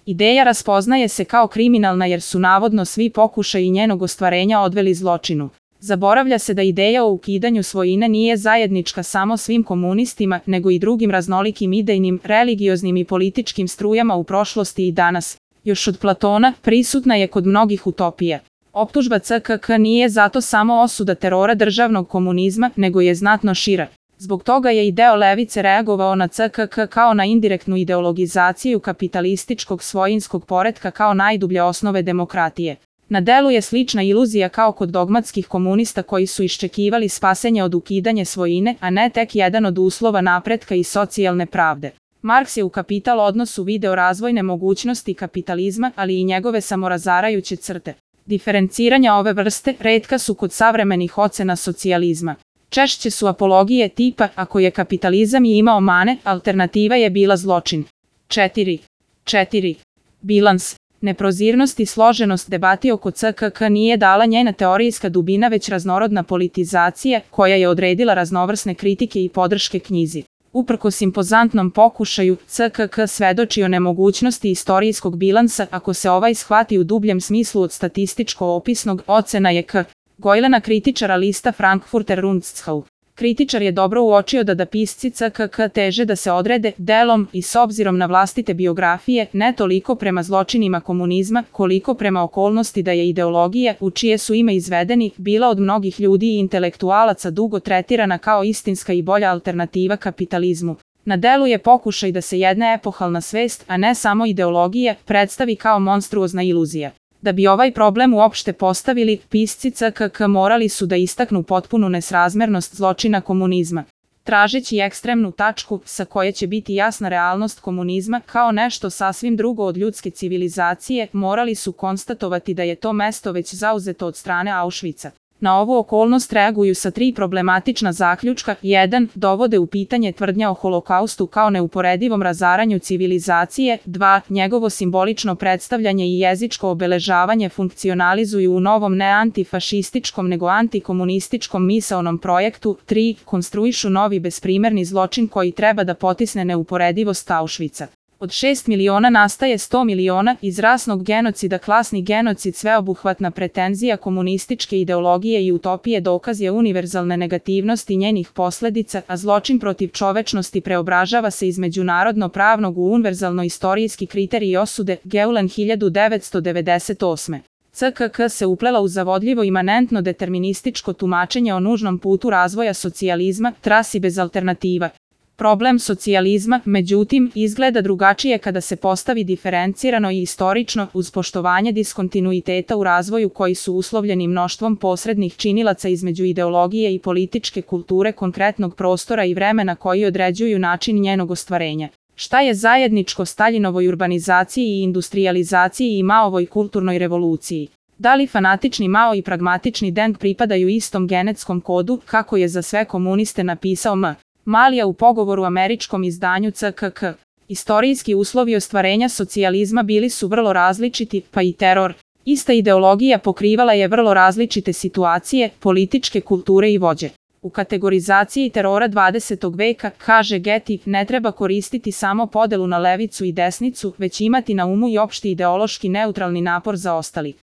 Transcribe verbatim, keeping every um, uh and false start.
Ideja raspoznaje se kao kriminalna jer su navodno svi pokušaji njenog ostvarenja odveli zločinu. Zaboravlja se da ideja o ukidanju svojine nije zajednička samo svim komunistima, nego i drugim raznolikim idejnim, religioznim i političkim strujama u prošlosti i danas. Još od Platona, prisutna je kod mnogih utopija. Optužba C K K nije zato samo osuda terora državnog komunizma, nego je znatno šira. Zbog toga je i deo levice reagovao na C K K kao na indirektnu ideologizaciju kapitalističkog svojinskog poretka kao najdublje osnove demokratije. Na delu je slična iluzija kao kod dogmatskih komunista koji su iščekivali spasenje od ukidanja svojine, a ne tek jedan od uslova napretka i socijalne pravde. Marks je u Kapital odnosu video razvojne mogućnosti kapitalizma, ali i njegove samorazarajuće crte. Diferenciranja ove vrste retka su kod savremenih ocena socijalizma. Češće su apologije tipa, ako je kapitalizam i imao mane, alternativa je bila zločin. četiri. četiri. Bilans. Neprozirnost i složenost debati oko C K K nije dala njena teorijska dubina već raznorodna politizacija koja je odredila raznovrsne kritike i podrške knjizi. Uprkos impozantnom pokušaju, C K K svedoči o nemogućnosti istorijskog bilansa ako se ovaj shvati u dubljem smislu od statističko-opisnog, ocena je K. Gojlena kritičara lista Frankfurter Rundschau. Kritičar je dobro uočio da da pisci C K K teže da se odrede delom i s obzirom na vlastite biografije, ne toliko prema zločinima komunizma, koliko prema okolnosti da je ideologija, u čije su ime izvedeni, bila od mnogih ljudi i intelektualaca dugo tretirana kao istinska i bolja alternativa kapitalizmu. Na delu je pokušaj da se jedna epohalna svest, a ne samo ideologija, predstavi kao monstruozna iluzija. Da bi ovaj problem uopšte postavili, pisci C K K morali su da istaknu potpunu nesrazmernost zločina komunizma. Tražeći ekstremnu tačku sa koje će biti jasna realnost komunizma kao nešto sasvim drugo od ljudske civilizacije, morali su konstatovati da je to mesto već zauzeto od strane Auschwitza. Na ovu okolnost reaguju sa tri problematična zaključka. jedan. Dovode u pitanje tvrdnja o holokaustu kao neuporedivom razaranju civilizacije. dva. Njegovo simbolično predstavljanje i jezičko obeležavanje funkcionalizuju u novom ne antifašističkom nego antikomunističkom misaonom projektu. tri. Konstruišu novi besprimerni zločin koji treba da potisne neuporedivost Auschwitza. Od šest miliona nastaje sto miliona, iz rasnog genocida klasni genocid sveobuhvatna pretenzija komunističke ideologije i utopije dokaz je univerzalne negativnosti njenih posledica, a zločin protiv čovečnosti preobražava se iz međunarodno pravnog u univerzalno istorijski kriterij osude. Geulen hiljadu devetsto devedeset osme. C K K se uplela u zavodljivo imanentno determinističko tumačenje o nužnom putu razvoja socijalizma, trasi bez alternativa. Problem socijalizma, međutim, izgleda drugačije kada se postavi diferencirano i istorično uz poštovanje diskontinuiteta u razvoju koji su uslovljeni mnoštvom posrednih činilaca između ideologije i političke kulture konkretnog prostora i vremena koji određuju način njenog ostvarenja. Šta je zajedničko Staljinovoj urbanizaciji i industrijalizaciji i Maovoj kulturnoj revoluciji? Da li fanatični Mao i pragmatični Deng pripadaju istom genetskom kodu, kako je za sve komuniste napisao M. Malija u pogovoru američkom izdanju C K K? Istorijski uslovi ostvarenja socijalizma bili su vrlo različiti, pa i teror. Ista ideologija pokrivala je vrlo različite situacije, političke kulture i vođe. U kategorizaciji terora dvadesetog veka, kaže Getty, ne treba koristiti samo podelu na levicu i desnicu, već imati na umu i opšti ideološki neutralni napor za ostali.